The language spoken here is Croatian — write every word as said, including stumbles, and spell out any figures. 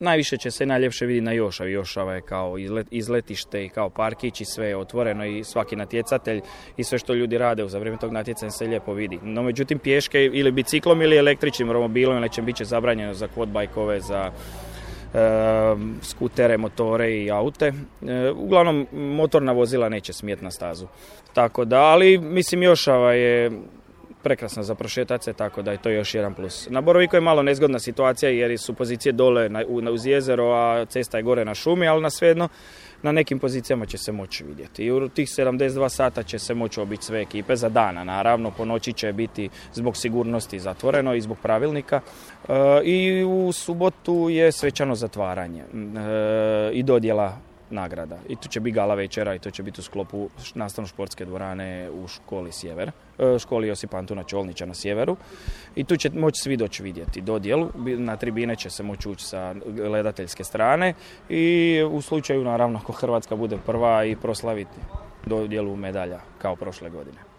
Najviše će se najljepše vidjeti na Jošavi. Jošava je kao izlet, izletište i kao parkić i sve je otvoreno i svaki natjecatelj i sve što ljudi rade za vrijeme tog natjecanja se lijepo vidi. No međutim pješke ili biciklom ili električnim romobilom ili će biti zabranjeno za quad bajkove, za e, skutere, motore i aute. E, uglavnom motorna vozila neće smjeti na stazu. Tako da, ali mislim Jošava je prekrasno za prošetat se, tako da je to još jedan plus. Na Boroviku je malo nezgodna situacija jer su pozicije dole na, uz jezero, a cesta je gore na šumi, ali na svejedno na nekim pozicijama će se moći vidjeti. I u tih sedamdeset dva sata će se moći obići sve ekipe za dana. Naravno, po noći će biti zbog sigurnosti zatvoreno i zbog pravilnika. E, I u subotu je svečano zatvaranje e, i dodjela nagrada. I tu će biti gala večera i to će biti u sklopu nastavno-športske dvorane u školi Sjever, školi Josipa Antuna Čolnića na Sjeveru. I tu će moći svi doći vidjeti dodjelu. Na tribine će se moći ući sa gledateljske strane i u slučaju, naravno, ako Hrvatska bude prva i proslaviti dodjelu medalja kao prošle godine.